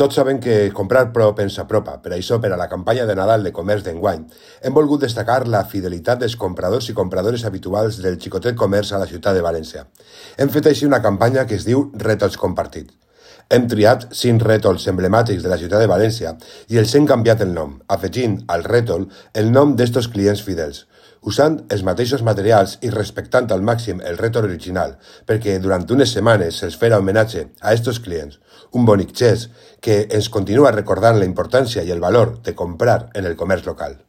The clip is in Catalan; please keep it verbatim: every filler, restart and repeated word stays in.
Tots sabem que comprar prop ens apropa, per això, per a la campanya de Nadal de comerç d'enguany, hem volgut destacar la fidelitat dels compradors i compradores habituals del xicotet comerç a la ciutat de València. Hem fet així una campanya que es diu Rètols Compartits. Hem triat cinc rètols emblemàtics de la ciutat de València i els hem canviat el nom, afegint al rètol el nom d'estos clients fidels, usant els mateixos materials i respectant al màxim el rètol original, perquè durant unes setmanes se'ls farà homenatge a estos clients, un bonic gest que ens continua recordant la importància i el valor de comprar en el comerç local.